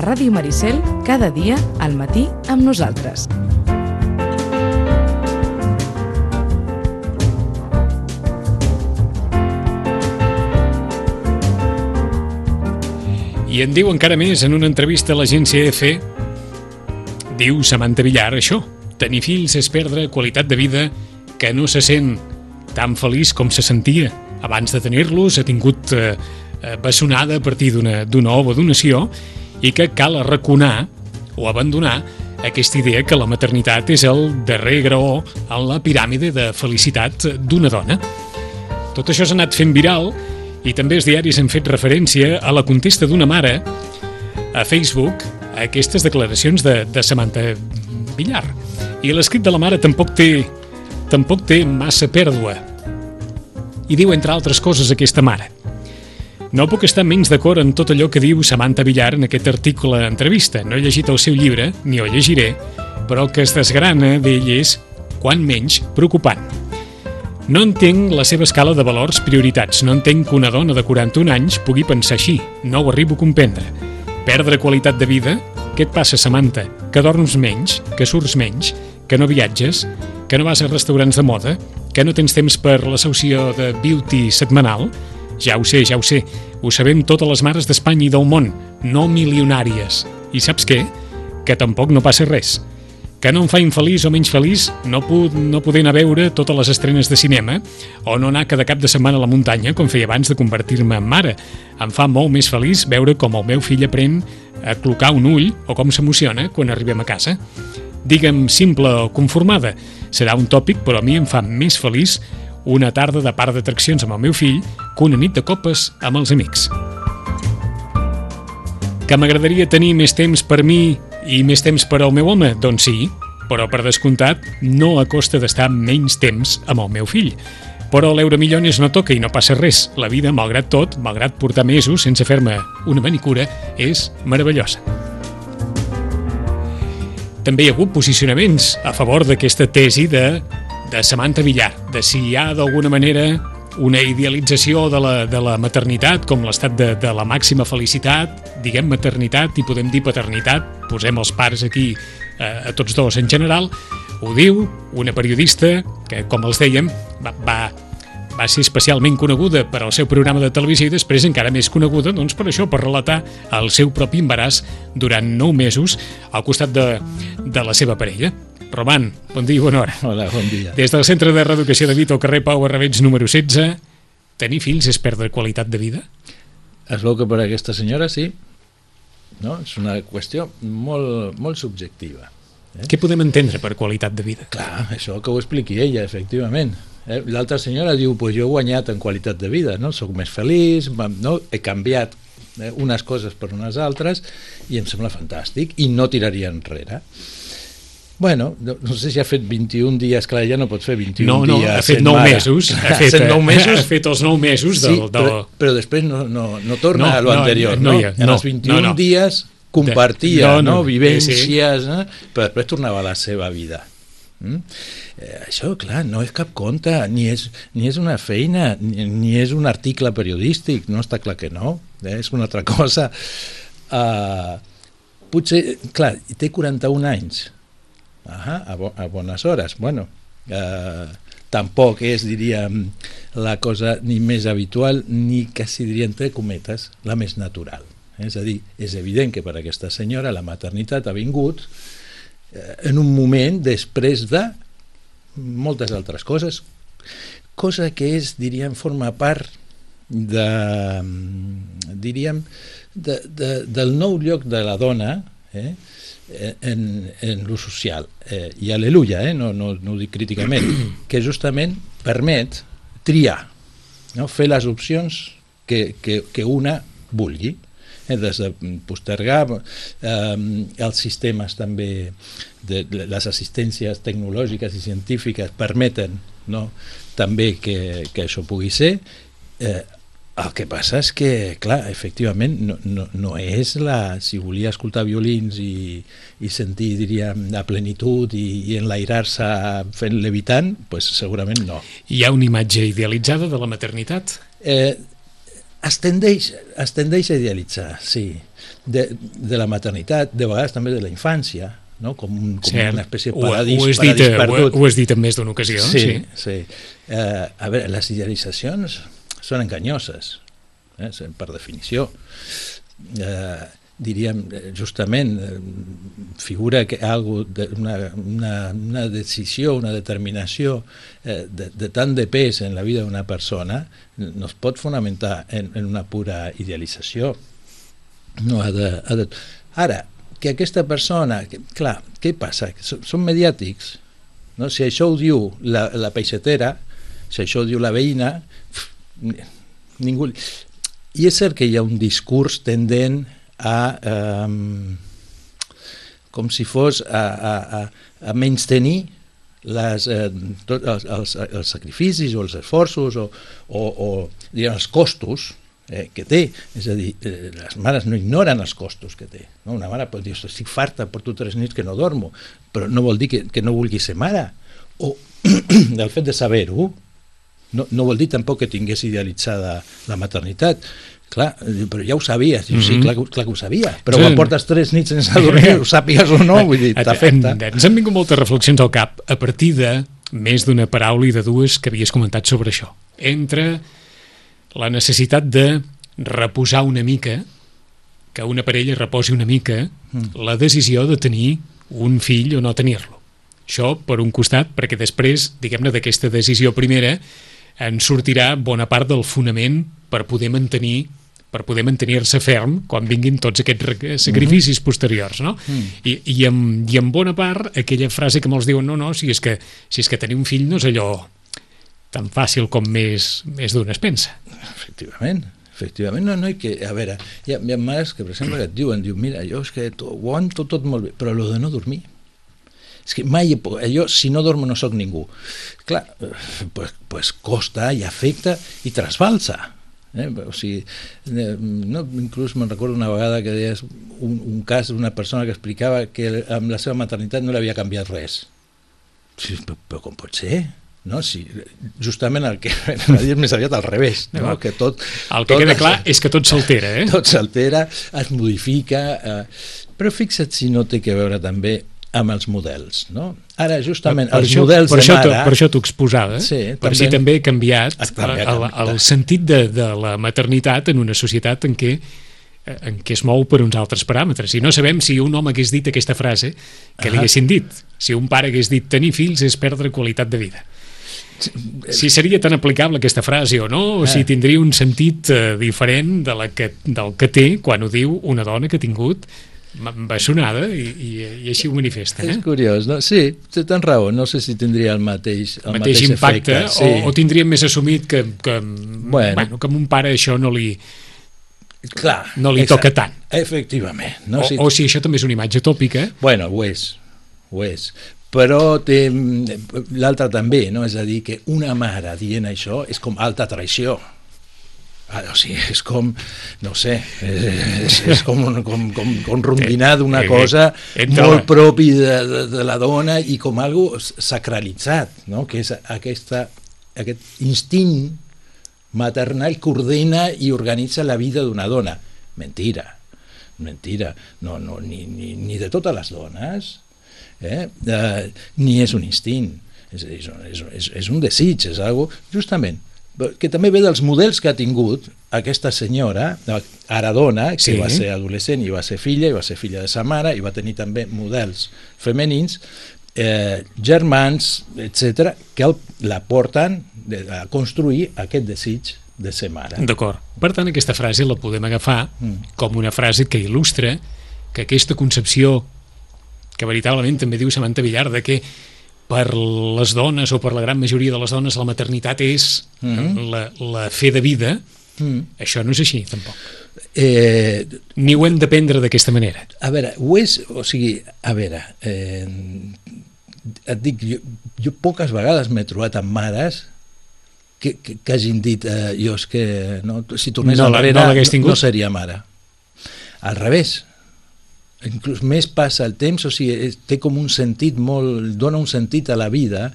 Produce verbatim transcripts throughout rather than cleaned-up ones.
Ràdio Maricel, cada dia al matí amb nosaltres. I en diu encara més en una entrevista a l'agència E F E. Diu Samantha Villar això: tenir fills és perdre qualitat de vida, que no se sent tan feliç com se sentia abans de tenir-los, ha tingut eh, bessonada a partir d'una d'una ova donació, i que cal arraconar o abandonar aquesta idea que la maternitat és el darrer graó en la piràmide de felicitat d'una dona. Tot això s'ha anat fent viral i també els diaris han fet referència a la contesta d'una mare a Facebook a aquestes declaracions de, de Samantha Villar. I l'escrit de la mare tampoc té, tampoc té massa pèrdua. I diu, entre altres coses, aquesta mare: no puc estar menys d'acord en tot allò que diu Samantha Villar en aquest article entrevista. No he llegit el seu llibre, ni ho llegiré, però el que es desgrana d'ell és, quan menys, preocupant. No entenc la seva escala de valors prioritats. No entenc que una dona de quaranta-un anys pugui pensar així. No ho arribo a comprendre. Perdre qualitat de vida? Què et passa, Samantha? Que dorms menys? Que surts menys? Que no viatges? Que no vas a restaurants de moda? Que no tens temps per la sessió de beauty setmanal? Ja ho sé, ja ho sé. Ho sabem totes les mares d'Espanya i del món, no milionàries. I saps què? Que tampoc no passa res. Que no em fa infeliç o menys feliç no, puc, no poder anar a veure totes les estrenes de cinema o no anar cada cap de setmana a la muntanya com feia abans de convertir-me en mare. Em fa molt més feliç veure com el meu fill aprèn a clocar un ull o com s'emociona quan arribem a casa. Digue'm simple o conformada. Serà un tòpic, però a mi em fa més feliç una tarda de parc d'atraccions amb el meu fill que una nit de copes amb els amics. Que m'agradaria tenir més temps per mi i més temps per al meu home? Doncs sí, però per descomptat no a costa d'estar menys temps amb el meu fill. Però l'Euromillones no toca i no passa res. La vida, malgrat tot, malgrat portar mesos sense fer-me una manicura, és meravellosa. També hi ha hagut posicionaments a favor d'aquesta tesi de, de Samantha Villar, de si hi ha d'alguna manera una idealització de la, de la maternitat com l'estat de, de la màxima felicitat, diguem maternitat i podem dir paternitat, posem els pares aquí eh, a tots dos en general. Ho diu una periodista que, com els dèiem, va, va, va ser especialment coneguda per al seu programa de televisió i després encara més coneguda doncs, per això, per relatar el seu propi embaràs durant nou mesos al costat de, de la seva parella. Roman, bon dia i bona hora. Hola, bon dia. Des del Centre de Reeducació de Vita al carrer Pau Barrabets número setze, tenir fills és perdre qualitat de vida? Es veu que per a aquesta senyora sí. No? És una qüestió molt, molt subjectiva. Eh? Què podem entendre per qualitat de vida? Clar, això que ho expliqui ella, efectivament. Eh? L'altra senyora diu, pues jo he guanyat en qualitat de vida, no? Soc més feliç, no? He canviat eh, unes coses per unes altres i em sembla fantàstic i no tiraria enrere. Bueno, no, no sé si ha fet vint-i-un dies, clar, ja no pot fer vint-i-un no, no, dies. Ha fet nou mare. mesos, ha fet, nou mesos. Ha fet els nou mesos del... Sí, però, però després no, no, no torna no, a lo no, anterior, no, no? no, En no els vint-i-un no, no. dies compartia, no, no, no, vivències, sí. no? Però després tornava a la seva vida. Mm? Eh, això, clar, no és cap conte, ni és, ni és una feina, ni, ni és un article periodístic, no està clar que no, eh? És una altra cosa. Uh, potser, clar, té quaranta-un anys, Ahà, a, bo, a bones hores. Bueno, eh, tampoc és, diríem, la cosa ni més habitual ni quasi diria entre cometes la més natural. És a dir, és evident que per a aquesta senyora la maternitat ha vingut eh, en un moment després de moltes altres coses, cosa que és, diríem, forma part de, diríem, de, de, del nou lloc de la dona, eh? en, en l'ús social, eh, i aleluia, eh? no, no, no ho dic críticament, que justament permet triar, no? Fer les opcions que, que, que una vulgui, eh? Des de postergar eh, els sistemes també, de, les assistències tecnològiques i científiques permeten, no? També que, que això pugui ser. eh, El que passa és que, clar, efectivament, no, no, no és la... Si volia escoltar violins i, i sentir, diríem, la plenitud i, i enlairar-se fent levitant, doncs segurament no. Hi ha una imatge idealitzada de la maternitat? Eh, es tendeix, es tendeix a idealitzar, sí, de, de la maternitat, de vegades també de la infància, no? com, un, com Cert. una espècie de Ho, paradís, ho, has paradís dit, perdut. ho, ho has dit en més d'una ocasió. Sí, sí. sí. Eh, a veure, les idealitzacions són enganyoses, eh, per definició. Eh, diríem, justament, eh, figura que algo de, una, una, una decisió, una determinació eh, de, de tant de pes en la vida d'una persona no es pot fonamentar en, en una pura idealització. No ha de, ha de... Ara, que aquesta persona... Que, clar, què passa? Són, són mediàtics. No? Si això ho diu la, la peixatera, si això ho diu la veïna, ningú... I és cert que hi ha un discurs tendent a... Um, com si fos a, a, a, a menystenir les, eh, tot, els, els, els sacrificis o els esforços o, o, o diguem, els costos eh, que té, és a dir, eh, les mares no ignoren els costos que té, no? Una mare pot dir, estic farta, porto tres nits que no dormo, però no vol dir que, que no vulgui ser mare, o el fet de saber-ho no, no vol dir tampoc que tingués idealitzada la maternitat. Clar, però ja ho sabies, mm-hmm. sí, clar, clar que ho sabia, però sí. Quan portes tres nits sense dormir, ho sàpigues o no, vull dir, t'afecta. Ens han vingut moltes reflexions al cap a partir de més d'una paraula i de dues que havies comentat sobre això. Entre la necessitat de reposar una mica, que una parella reposi una mica, mm. la decisió de tenir un fill o no tenir-lo. Això, per un costat, perquè després, diguem-ne, d'aquesta decisió primera, en sortirà bona part del fonament per poder mantenir per poder mantenir-se ferm quan vinguin tots aquests sacrificis mm-hmm. posteriors, no? Mm. I, i, amb, I en bona part aquella frase que molts diuen no, no, si és que, si és que tenir un fill no és allò tan fàcil com més, més d'un es pensa. Efectivament, efectivament, no, no, i que, a veure, hi ha, hi ha mares que, per exemple, que et diuen, diu, mira, jo és que ho aguanto tot molt bé, però allò de no dormir, és que mai, jo si no dormo no sóc ningú. Clar, pues, pues costa i afecta i trasbalsa. Eh? O sigui, no, inclús me'n recordo una vegada que deies un, un cas d'una persona que explicava que amb la seva maternitat no li havia canviat res. Sí, però, però com pot ser? No? Si, justament el que és més aviat al revés, no? Que tot, el que tot queda clar és que tot s'altera, eh? Tot s'altera, es modifica, eh, però fixa't si no té que veure també amb els models, no? Ara, justament, per els això, models per de això mare... Per això t'ho exposava, sí, per també, si també he canviat, també el, el, el sentit de, de la maternitat en una societat en què, en què es mou per uns altres paràmetres. I no sabem si un home hagués dit aquesta frase que li haguessin dit. Si un pare hagués dit tenir fills és perdre qualitat de vida. Si seria tan aplicable aquesta frase o no, o si tindria un sentit eh, diferent de la que, del que té quan ho diu una dona que ha tingut bessonada i, i, i així ho manifesta. Eh? És curiós, no? Sí, tens raó, no sé si tindria el mateix, el mateix, mateix impacte efecte, sí. o, o tindríem més assumit que, que, bueno. Bueno, que a un pare això no li, clar, no li toca tant. Efectivament. No? O, Si... o si això també és una imatge tòpica. Bueno, ho és, ho és. Però té l'altre també, no? És a dir, que una mare dient això és com alta traïció. Ah, o sigui, és com, no sé, és, és com, com, com, com rondinar d'una cosa molt propi de, de, de la dona i com algo sacralitzat, no? Que és aquesta, aquest instint maternal que ordena i organitza la vida d'una dona. Mentira, mentira, no, no, ni, ni, ni de totes les dones, eh? Uh, ni és un instint, és, és, és, és un desig, és algo, justament, que també ve dels models que ha tingut aquesta senyora, ara dona, que sí. Va ser adolescent i va ser filla, i va ser filla de sa mare, i va tenir també models femenins, eh, germans, etcètera, que el, la porten a construir aquest desig de ser mare. D'acord. Per tant, aquesta frase la podem agafar mm. com una frase que il·lustra que aquesta concepció, que veritablement també diu Samantha Villar, de que per les dones o per la gran majoria de les dones la maternitat és mm-hmm. la, la fe de vida, mm. això no és així tampoc. Eh, Ni ho hem de prendre d'aquesta manera. A veure, ho és, o sigui, a veure, eh, et dic, jo, jo poques vegades m'he trobat amb mares que, que, que hagin dit eh, jo és que no, si tornés no, enrere no, no, no seria mare. Al revés, inclús més passa el temps, o sigui, té com un sentit molt, dona un sentit a la vida,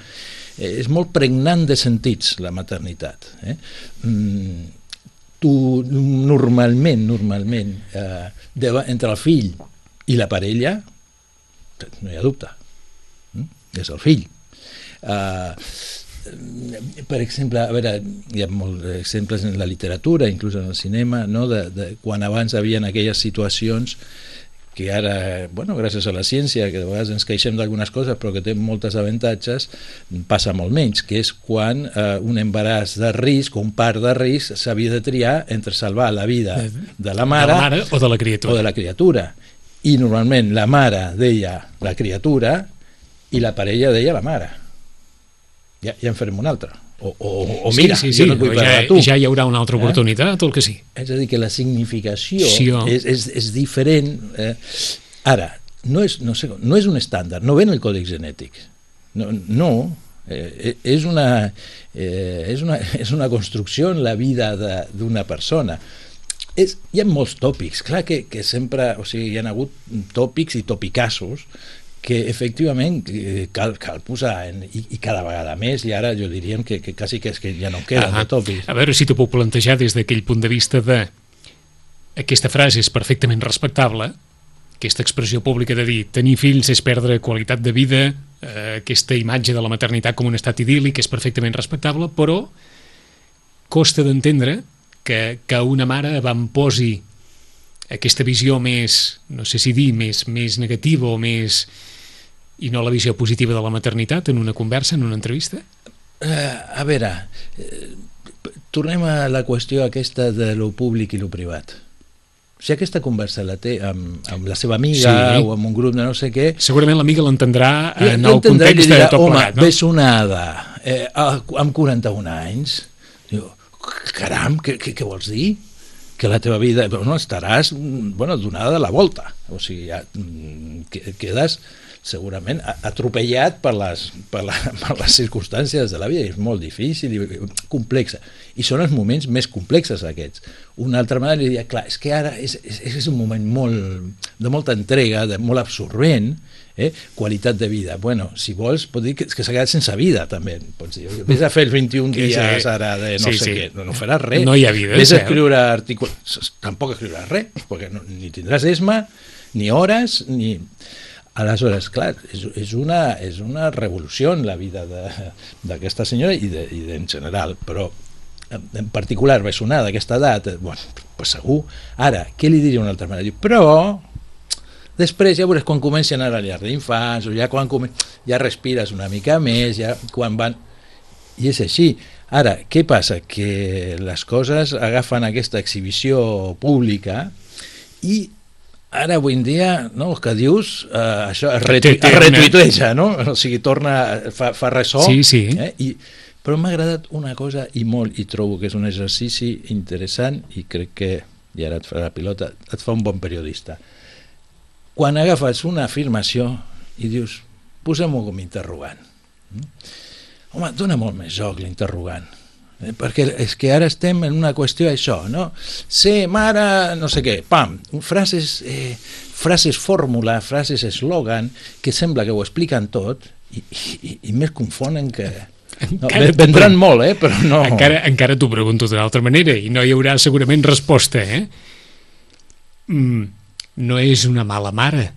eh, és molt pregnant de sentits la maternitat, eh? Mm, tu normalment, normalment, eh, de, entre el fill i la parella, no hi ha dubte, mm? és el fill. Uh, per exemple, a veure, hi ha molts exemples en la literatura, inclús en el cinema, no? de, de, quan abans hi havia aquelles situacions que ara, bueno, gràcies a la ciència, que de vegades ens queixem d'algunes coses però que té moltes avantatges, passa molt menys, que és quan eh, un embaràs de risc o un part de risc s'havia de triar entre salvar la vida de la mare, de la mare o de la criatura. O de la criatura. I normalment la mare deia la criatura i la parella deia la mare. Ja, ja en farem una altra. O, o, o mira, sí, sí, sí. jo no et vull ja, parlar tu. Ja hi haurà una altra oportunitat, eh? O el que sí. És a dir, que la significació sí, oh. és, és, és diferent. Eh? Ara, no és, no, sé, no és un estàndard, no ve en el còdex genètic. No, no eh, és, una, eh, és, una, és una construcció en la vida d'una persona. És, hi ha molts tòpics, clar que, que sempre, o sigui, hi ha hagut tòpics i topicassos que efectivament cal, cal posar en, i, i cada vegada més, i ara jo diríem que, que quasi que, és que ja no queden ah, de tòpics. A veure si t'ho puc plantejar des d'aquell punt de vista de aquesta frase és perfectament respectable, aquesta expressió pública de dir tenir fills és perdre qualitat de vida, eh, aquesta imatge de la maternitat com un estat idíl·lic és perfectament respectable, però costa d'entendre que, que una mare avantposi aquesta visió més, no sé si dir, més, més negativa o més... i no la visió positiva de la maternitat en una conversa, en una entrevista? Uh, a veure, uh, tornem a la qüestió aquesta de lo públic i lo privat. Si aquesta conversa la té amb, amb la seva amiga sí. o amb un grup de no sé què... Segurament l'amiga l'entendrà en el context dirà, de tot plegat, no? Home, ves onada, eh, amb quaranta-un anys, diu, caram, què, què, què vols dir? Que la teva vida... Bueno, estaràs bueno, donada de la volta. O sigui, ja quedes segurament atropellat per les, per, la, per les circumstàncies de la vida. És molt difícil i complexa. I són els moments més complexes aquests. Una altra manera li diria, clar, és que ara és, és, és un moment molt, de molta entrega, de molt absorbent, eh? Qualitat de vida. Bueno, si vols, pot dir que, que s'ha quedat sense vida, també. Pots dir, vés a fer els vint-i-un dies ara de no sí, sé sí. què, no, no faràs res. No hi ha vida. Vés a escriure articles, tampoc escriuràs res, perquè no, ni tindràs esma, ni hores, ni... Aleshores, clar, és, és, una, és una revolució en la vida d'aquesta senyora i, de, i de, en general, però en particular bessonada d'aquesta edat, bueno, pues segur. Ara, què li diria una altra manera? Diu, però després ja veuràs quan comenci a anar a la llar d'infants o ja quan ja respires una mica més, ja quan van... I és així. Ara, què passa? Que les coses agafen aquesta exhibició pública i ara avui en dia, no, el que dius, eh, això es, retu es retuiteja, no? O sigui, torna, fa, fa ressò. Sí, sí. Eh? I, però m'ha agradat una cosa i molt, i trobo que és un exercici interessant i crec que, i ara et farà la pilota, et fa un bon periodista. Quan agafes una afirmació i dius, posem-ho com interrogant. Home, dona molt més joc l'interrogant. Eh, perquè és que ara estem en una qüestió això, no? Ser mare, no sé què, pam, frases, eh, frases fórmula, frases eslògan, que sembla que ho expliquen tot i, i, i més confonen que... No, vendran molt, eh, però no... Encara, encara t'ho pregunto d'una altra manera i no hi haurà segurament resposta, eh? Mm, no és una mala mare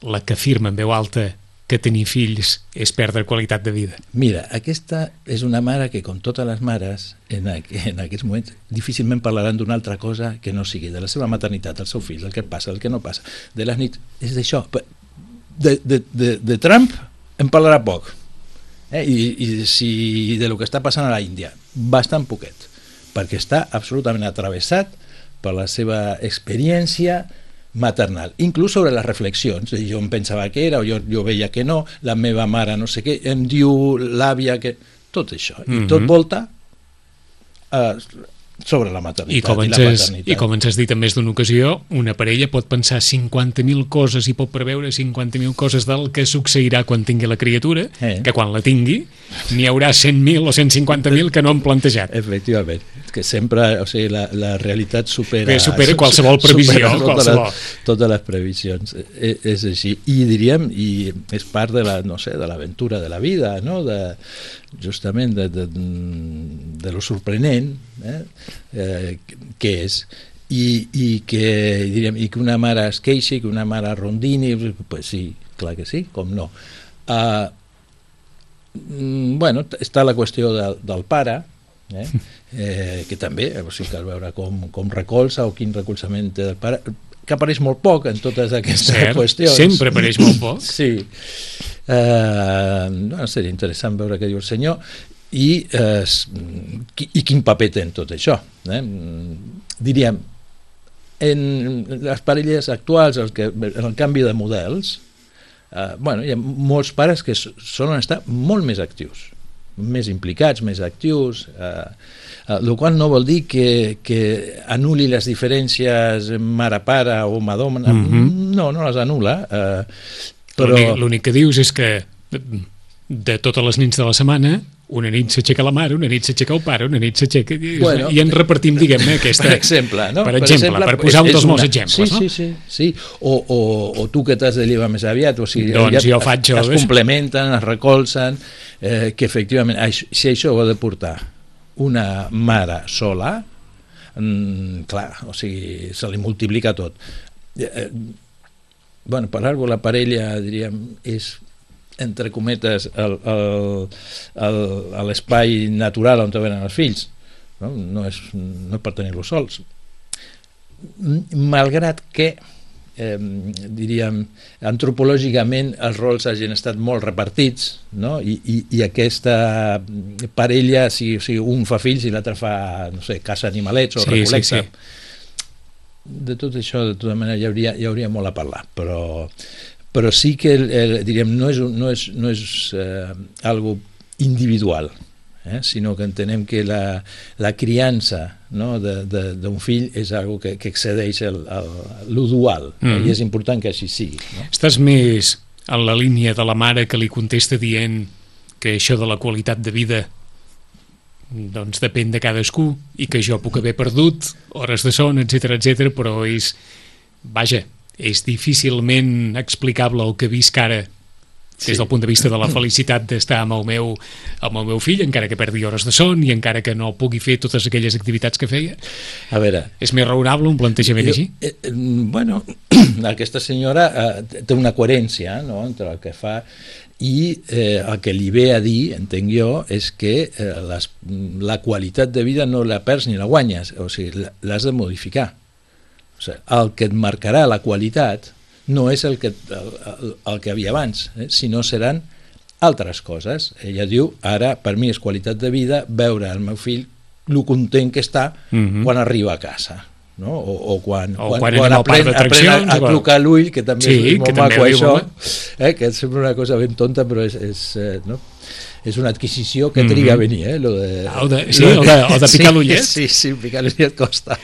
la que afirma en veu alta que tenir fills és perdre qualitat de vida. Mira, aquesta és una mare que, com totes les mares, en, en aquests moments difícilment parlaran d'una altra cosa que no sigui de la seva maternitat, del seu fill, del que passa, del que no passa, de les nits, és d'això. De, de, de, de Trump en parlarà poc, eh? I, i si de lo que està passant a la Índia, bastant poquet, perquè està absolutament atravessat per la seva experiència maternal, inclús sobre les reflexions. Jo em pensava que era, o jo, jo veia que no, la meva mare no sé què, em diu l'àvia que... Tot això, i mm-hmm. tot volta eh, sobre la maternitat i, com i la has, paternitat. I com ens has dit en més d'una ocasió, una parella pot pensar cinquanta mil coses i pot preveure cinquanta mil coses del que succeirà quan tingui la criatura, eh. que quan la tingui n'hi haurà cent mil o cent cinquanta mil que no han plantejat. Efectivament, que sempre, o sigui, la, la realitat supera... Bé, supera qualsevol previsió. Supera totes, qualsevol. Les, totes les previsions. És, és així. I diríem, i és part de la, no sé, de l'aventura de la vida, no? De, justament de, de, de lo sorprenent, eh? Eh, què és? I, i, que, diríem, i que una mare es queixi, que una mare rondini, pues sí, clar que sí, com no. Uh, bueno, està la qüestió del, del pare, eh? Eh, que també, o sigui, cal veure com, com recolza o quin recolzament té del pare, que apareix molt poc en totes aquestes Cert, qüestions. sempre apareix molt poc. Sí. Eh, no, seria interessant veure què diu el senyor i, eh, i quin paper té en tot això. Eh? Diríem, en les parelles actuals, el que, en el canvi de models, eh, bueno, hi ha molts pares que solen estar molt més actius, més implicats, més actius, eh, eh, el qual no vol dir que, que anul·li les diferències mare-pare o home-dona, mm-hmm. no, no les anul·la, eh, però... L'únic que dius és que de totes les nits de la setmana, una nit s'aixeca la mare, una nit s'aixeca el pare, una nit s'aixeca... Bueno, i ens repartim, diguem-ne, aquesta... Per exemple, no? Per exemple, per, exemple, per posar un dels molts exemples, sí, no? Sí, sí, sí. O, o, o tu que t'has de llevar més aviat, o sigui, doncs jo faig es, es complementen, es recolzen, eh, que efectivament, si això ho ha de portar una mare sola, mm, clar, o sigui, se li multiplica tot. Eh, bueno, per alguna cosa la parella, diríem, és entre cometes l'espai natural on venen els fills, no, no, és, no és per tenir-los sols, malgrat que eh, diríem antropològicament els rols hagin estat molt repartits, no? I, i, i aquesta parella, si, si un fa fills i l'altre fa, no sé, caça animalets o sí, recol·lecta, sí, sí. De tot això de tota manera hi hauria, hi hauria molt a parlar, però però sí que el, el, diríem, no és, no és, no és eh, algo individual, eh, sinó que entenem que la, la criança, no, d'un fill és algo que, que excedeix lo dual, mm. eh, i és important que així sigui. No? Estàs més en la línia de la mare que li contesta dient que això de la qualitat de vida doncs depèn de cadascú i que jo puc haver perdut hores de son, etcètera, etcètera, però és, vaja, és difícilment explicable el que visc ara des sí. del punt de vista de la felicitat d'estar amb el meu, amb el meu fill, encara que perdi hores de son i encara que no pugui fer totes aquelles activitats que feia. A veure, és més raonable un plantejament jo, així? Eh, bueno, aquesta senyora eh, té una coherència, no?, entre el que fa i eh, el que li ve a dir, entenc jo, és que eh, les, la qualitat de vida no la perds ni la guanyes, o sigui, l'has de modificar. O sigui, el que et marcarà la qualitat no és el que, el, el, el que havia abans, eh? sinó seran altres coses. Ella diu, ara per mi és qualitat de vida veure el meu fill lo content que està mm-hmm. quan arriba a casa, no? o, o quan, o quan, quan, quan aprèn, aprèn a, a trucar l'ull, que també sí, és molt maco això, eh? que sembla una cosa ben tonta, però és, és eh, no? és una adquisició que triga a venir, eh? Lo de, o de, sí, lo de, o de, o de picar sí, l'ullet. Sí, sí, picar l'ullet costa.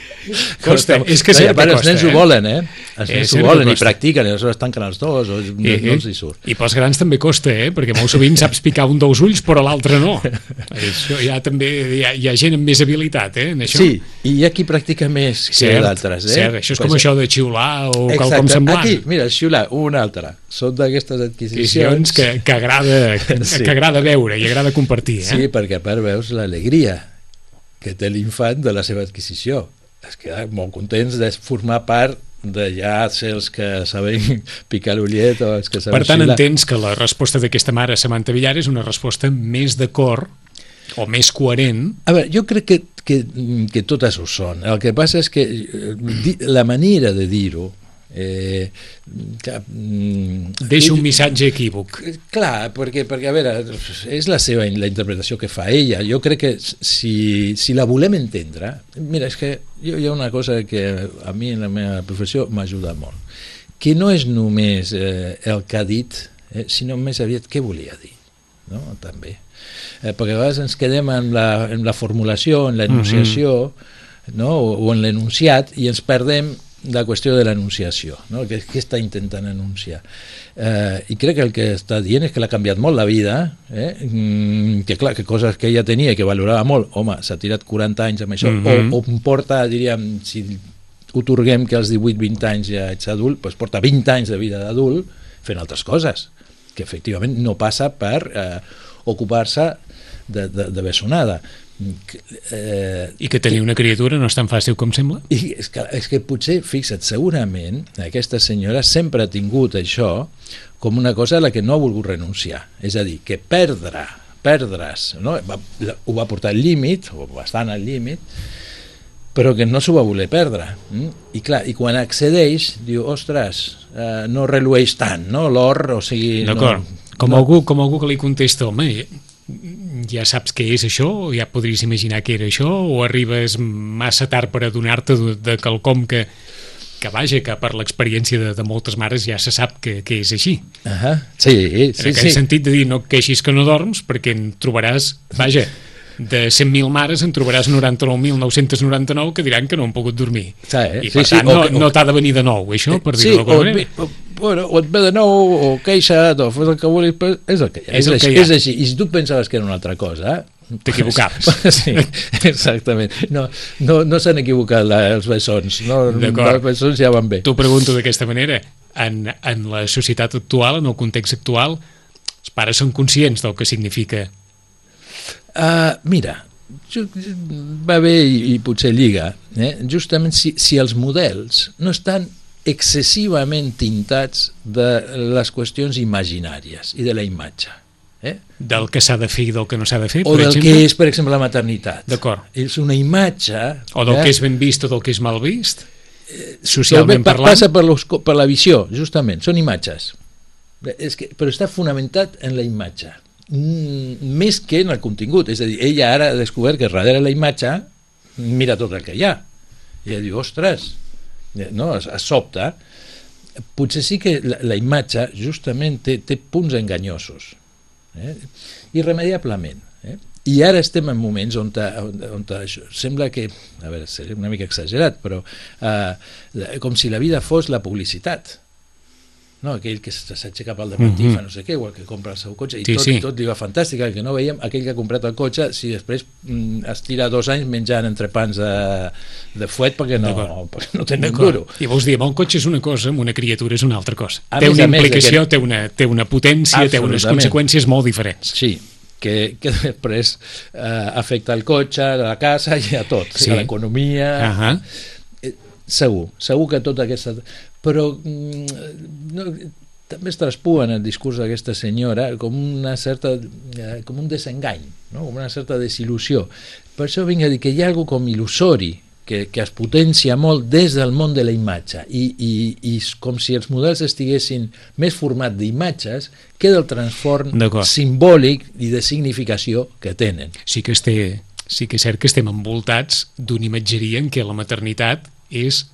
Costa, és que sempre no, costa. Els nens eh? ho volen, eh? Els nens ho volen i costa. practiquen, i aleshores tanquen els dos, o I, no els hi surt. I pels grans també costa, eh? Perquè molt sovint saps picar un dels ulls, però l'altre no. Això ja també hi ha, hi ha gent amb més habilitat, eh? En això. Sí, i hi ha qui practica més que cert, d'altres, eh? Cert, això és pues com això de xiular o exacte, quelcom semblant. Aquí, mira, xiular, una altra. Són d'aquestes adquisicions que, que, agrada, sí. que agrada veure i agrada compartir. Eh? Sí, perquè a part veus l'alegria que té l'infant de la seva adquisició. Es queda molt contents de formar part de ja ser els que saben picar l'ullet o els que saben Per tant, xiular. Entens que la resposta d'aquesta mare, Samantha Villar, és una resposta més d'acord o més coherent? A veure, jo crec que, que, que totes ho són. El que passa és que la manera de dir-ho Eh, que, mm, deixa un missatge equívoc. Clar, perquè, perquè a veure, és la seva la interpretació que fa ella. Jo crec que si, si la volem entendre, mira, és que jo, hi ha una cosa que a mi en la meva professió m'ajuda molt, que no és només eh, el que ha dit, eh, sinó més aviat què volia dir, no? També. Eh, perquè a vegades ens quedem en la, en la formulació, en l'enunciació, mm-hmm. no? o, o en l'enunciat, i ens perdem la qüestió de l'enunciació, no? Què, què està intentant enunciar, eh, i crec que el que està dient és que l'ha canviat molt la vida, eh? mm, que clar, que coses que ella tenia i que valorava molt, home, s'ha tirat quaranta anys amb això, mm-hmm. o, o porta, diríem, si otorguem que als divuit vint anys ja ets adult, doncs porta vint anys de vida d'adult fent altres coses, que efectivament no passa per eh, ocupar-se de, de, de bessonada. Eh, I que tenir una criatura no és tan fàcil com sembla? I és que, és que potser, fixa't, segurament aquesta senyora sempre ha tingut això com una cosa a la que no ha volgut renunciar. És a dir, que perdre, perdre's, no? va, ho va portar al límit, o bastant al límit, però que no s'ho va voler perdre. Mm? I clar, i quan accedeix, diu, ostres, eh, no relueix tant, no? L'or, o sigui... D'acord, no, com, no... algú, com algú que li contesta, home, ja saps què és això, o ja podries imaginar què era això, o arribes massa tard per adonar-te de, de quelcom que, que vaja, que per l'experiència de, de moltes mares ja se sap que, que és així. Uh -huh. Sí, sí, en aquell sí. sentit de dir, no queixis que no dorms, perquè en trobaràs, vaja, de cent mil mares en trobaràs noranta-nou mil nou-cents noranta-nou que diran que no han pogut dormir. Sí, eh? I per sí, tant sí, no, o, no t'ha de venir de nou, això, per sí, dir-ho d'alguna manera. O, bueno, o et ve de nou, o queixa't, o fes el que vulguis, però és el que hi ha. És, el és, que així, hi ha. és així. I si tu pensaves que era una altra cosa, t'equivocaves. Sí, exactament. No, no, no s'han equivocat la, els bessons. No, els bessons ja van bé. T'ho pregunto d'aquesta manera. En, en la societat actual, en el context actual, els pares són conscients del que significa? Uh, mira, va bé i, i potser lliga. Eh? Justament si, si els models no estan excessivament tintats de les qüestions imaginàries i de la imatge. Eh? Del que s'ha de fer i del que no s'ha de fer, o per del exemple? que és, per exemple, la maternitat. D'acord. És una imatge... O del eh? que és ben vist o del que és mal vist? Eh, socialment pa, parlant? Passa per, los, per la visió, justament. Són imatges. És que, però està fonamentat en la imatge. Mm, més que en el contingut. És a dir, ella ara ha descobert que darrere la imatge mira tot el que hi ha. I ella diu, ostres, no? Es, es sobta. Potser sí que la, la imatge justament té, té punts enganyosos. Eh? Irremediablement. Eh? I ara estem en moments on, on, on això, sembla que, a veure, seria una mica exagerat, però eh, com si la vida fos la publicitat. No, aquell que s'aixeca al dematí, mm-hmm. fa no sé què, o el que compra el seu cotxe, i sí, tot, sí. tot li va fantàstic, el que no veiem, aquell que ha comprat el cotxe, si després mm, es tira dos anys menjant entrepans de, de fuet perquè no, perquè no té ni un duro. I vols dir, el cotxe és una cosa, amb una criatura és una altra cosa. A té més, una més, implicació, aquest... té, una, té una potència, té unes conseqüències molt diferents. Sí, que, que després eh, afecta el cotxe, a la casa i a tot, sí. A l'economia... Uh-huh. eh, segur, segur que tota aquesta... Però no, també es traspua en el discurs d'aquesta senyora com una certa eh, com un desengany, no? Com una certa desil·lusió. Per això vinc a dir que hi ha alguna com il·lusori que, que es potencia molt des del món de la imatge i, i, i com si els models estiguessin més formats d'imatges que del transform simbòlic i de significació que tenen. Sí que, este, sí que és cert que estem envoltats d'una imatgeria en què la maternitat és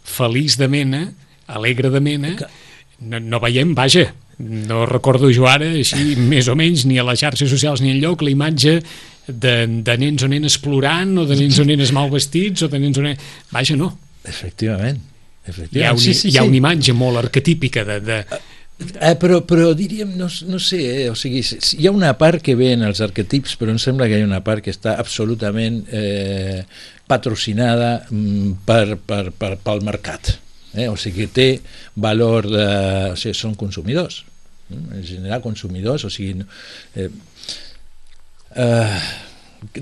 feliç de mena, alegre de mena, no, no veiem, vaja, no recordo jo ara, així més o menys, ni a les xarxes socials ni enlloc, la imatge de, de nens o nenes plorant, o de nens o nenes mal vestits, o de nens o nenes... Vaja, no. Efectivament. Efectivament. Hi ha, un, sí, sí, hi ha sí. una imatge molt arquetípica de... de... Eh, però, però diríem, no, no sé, eh, o sigui, hi ha una part que ve en els arquetips, però em sembla que hi ha una part que està absolutament eh, patrocinada per, per, per, pel mercat. Eh? O sigui, té valor de... O sigui, són consumidors. En general, consumidors, o sigui... Eh, eh,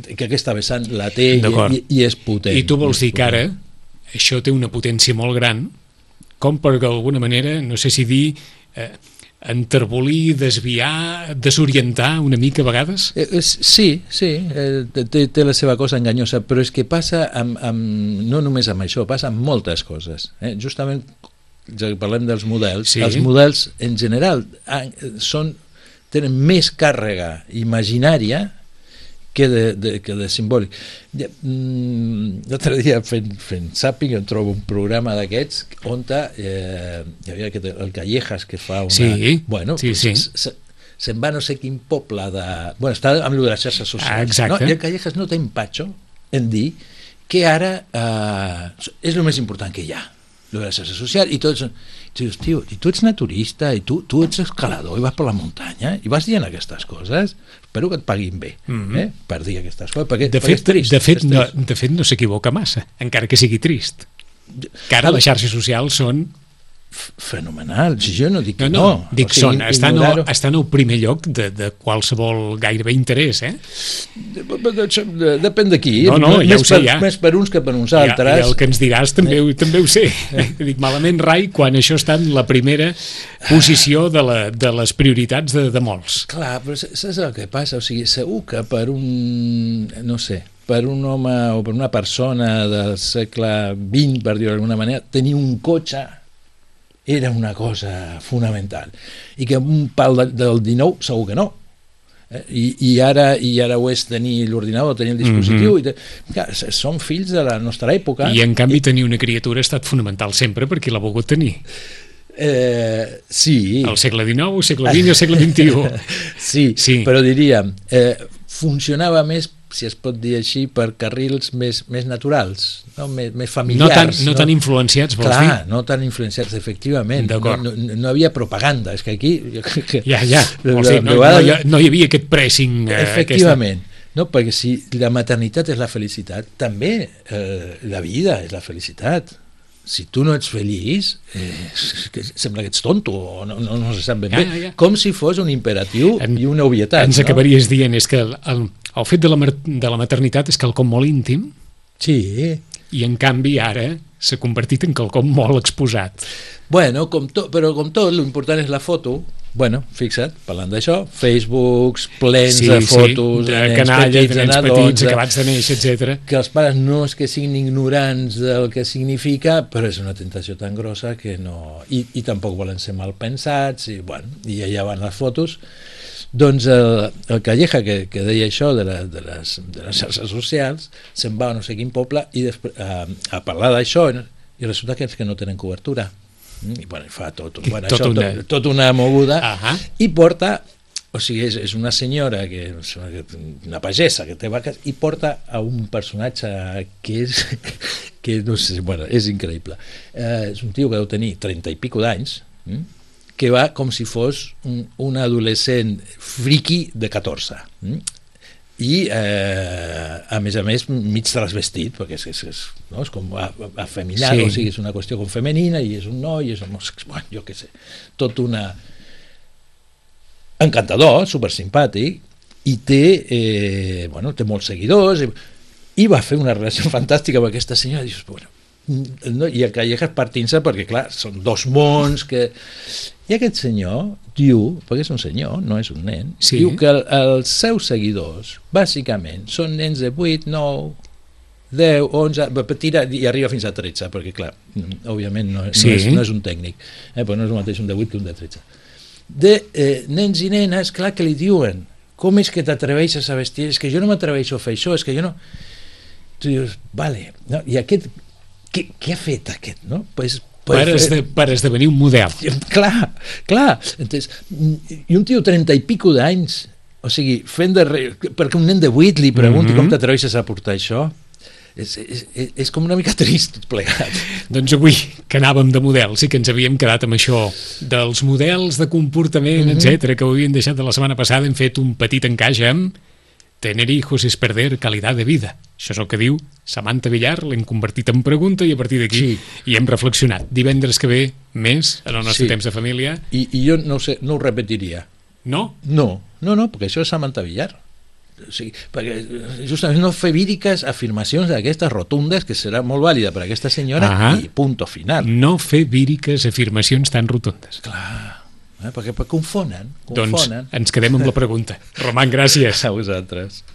que aquesta vessant la té i, i, i és potent. I tu vols dir que ara això té una potència molt gran, com per d'alguna manera, no sé si dir... Eh, enterbolir, desviar, desorientar una mica a vegades? Eh, sí, sí, eh, té, té la seva cosa enganyosa, però és que passa amb, amb, no només amb això, passa amb moltes coses. Eh? Justament, ja que parlem dels models, sí. Els models en general són, tenen més càrrega imaginària que de, de, que de simbòlic. Ja, mm, l'altre dia fent, fent zapping em trobo un programa d'aquests on eh, hi havia aquest, el Callejas que fa una... Sí, bueno, sí, pues, sí. Se, se'n va no sé quin poble de... Bueno, està amb les xarxes socials. Ah, exacte. No? I el Callejas no té empatxo en dir que ara eh, és el més important que hi ha, lo de la xarxa social, i tots... I dius, tio, i tu ets naturista, i tu, tu ets escalador, i vas per la muntanya, i vas dient aquestes coses, espero que et paguin bé, mm-hmm. eh? per dir aquestes coses, perquè, de perquè fet, és trist. De fet, és no, trist. de fet no s'equivoca massa, encara que sigui trist. Que ara les xarxes socials són fenomenal. Si jo no dic que no. no. no. Dic, o sigui, són, estan, al, estan al primer lloc de, de qualsevol gairebé interès, eh? Depèn d'aquí. No, no, ja més ho sé, per, ja. Més per uns que per uns altres. I, i el que ens diràs també, eh. també ho sé. Dic, malament rai quan això està en la primera posició de, la, de les prioritats de, de molts. Clar, però saps el que passa? O sigui, segur que per un, no sé, per un home o per una persona del segle vint, per dir-ho d'alguna manera, tenir un cotxe era una cosa fonamental. I que un pal de, del dinou segur que no. Eh? I, i, ara, I ara ho és tenir l'ordinador, tenir el dispositiu. Mm-hmm. i te... Clar, som fills de la nostra època. I en canvi I... tenir una criatura ha estat fonamental sempre perquè l'ha volgut tenir. Eh, sí. Al segle dinou, segle vint i al segle vint-i-u. sí, sí, però diríem, eh, funcionava més, si es pot dir així, per carrils més, més naturals, no? més, més familiars. No tan, no, no tan influenciats, vols Clar, dir? Clar, no tan influenciats, efectivament. No, no, no havia propaganda, és que aquí... Ja, ja, vols dir, no, no, hi, no hi havia aquest pressing... Eh, efectivament. Aquesta... No, perquè si la maternitat és la felicitat, també eh, la vida és la felicitat. Si tu no ets feliç, eh, sembla que ets tonto, o no, no, no se sap ben ja, bé, ja. com si fos un imperatiu en, i una obvietat. Ens no? acabaries dient, és que el, el, el fet de la, de la maternitat és quelcom molt íntim, sí. I en canvi ara s'ha convertit en quelcom molt exposat. Bueno, com to, però com tot, l'important és la foto. Bueno, fixa't, parlant d'això, Facebooks plens sí, de fotos sí, de, de nens canalla, petits, de nens petits, acabats de néixer, etcètera. Que els pares no és que siguin ignorants del que significa, però és una tentació tan grossa que no... I, i tampoc volen ser mal pensats, i, bueno, i allà van les fotos. Doncs el, el Calleja, que, que deia això de, la, de, les, de les xarxes socials, se'n va a no sé quin poble i després, a, a parlar d'això, i resulta que és que no tenen cobertura. I bueno, fa tot, bueno, tot, això, una... tot, tot una moguda. Uh-huh. I porta, o sigui, és, és una senyora que, una pagesa que té vaques, i porta a un personatge que és que no sé, bueno, és increïble. Eh, és un tio que deu tenir trenta i pico d'anys, hm? que va com si fos un, un adolescent friqui de catorze. Hm? I eh, a més a més mig trasvestit, perquè és, és, és, no? és com afeminat, sí. O sigui, és una qüestió com femenina, i és un noi, és un, bueno, jo què sé, tot una encantador, supersimpàtic, i té eh, bueno, té molts seguidors, i, i va fer una relació fantàstica amb aquesta senyora, i dius, bueno, no, i el Callejas partint-se perquè clar, són dos mons que... i aquest senyor diu, perquè és un senyor, no és un nen, sí. Diu que el, els seus seguidors bàsicament són nens de vuit, nou, deu, onze, tira, i arriba fins a tretze, perquè clar, òbviament no, sí. no, és, no és un tècnic, eh, però no és el mateix un de vuit que un de tretze, de eh, nens i nenes, clar que li diuen, com és que t'atreveixes a vestir, és que jo no m'atreveixo a fer això, és que jo no... Tu dius, vale, no? I aquest Què, què ha fet aquest, no? Pues, pues, per, esde, per esdevenir un model. Clar, clar. Entonces, i un tio trenta i pico d'anys, o sigui, fent de re... perquè un nen de vuit li pregunti mm-hmm. com t'atreveixes a portar això, és, és, és com una mica trist tot plegat. Doncs avui, que anàvem de models, sí que ens havíem quedat amb això dels models de comportament, mm-hmm. etcètera, que ho havíem deixat de la setmana passada, hem fet un petit encaix amb tener hijos es perder calidad de vida. Això és el que diu Samantha Villar, l'hem convertit en pregunta i a partir d'aquí sí. hi hem reflexionat. Divendres que ve, més, en el nostre sí. temps de família. I, i jo no, sé, no ho repetiria. No? No, no, no, perquè això és Samantha Villar. O sigui, perquè justament no fer víriques afirmacions d'aquestes rotundes, que serà molt vàlida per a aquesta senyora, ah, i punto final. No fer víriques afirmacions tan rotundes. Clar. Eh, perquè, perquè confonen, confonen. Doncs ens quedem amb la pregunta. Roman, gràcies. A vosaltres.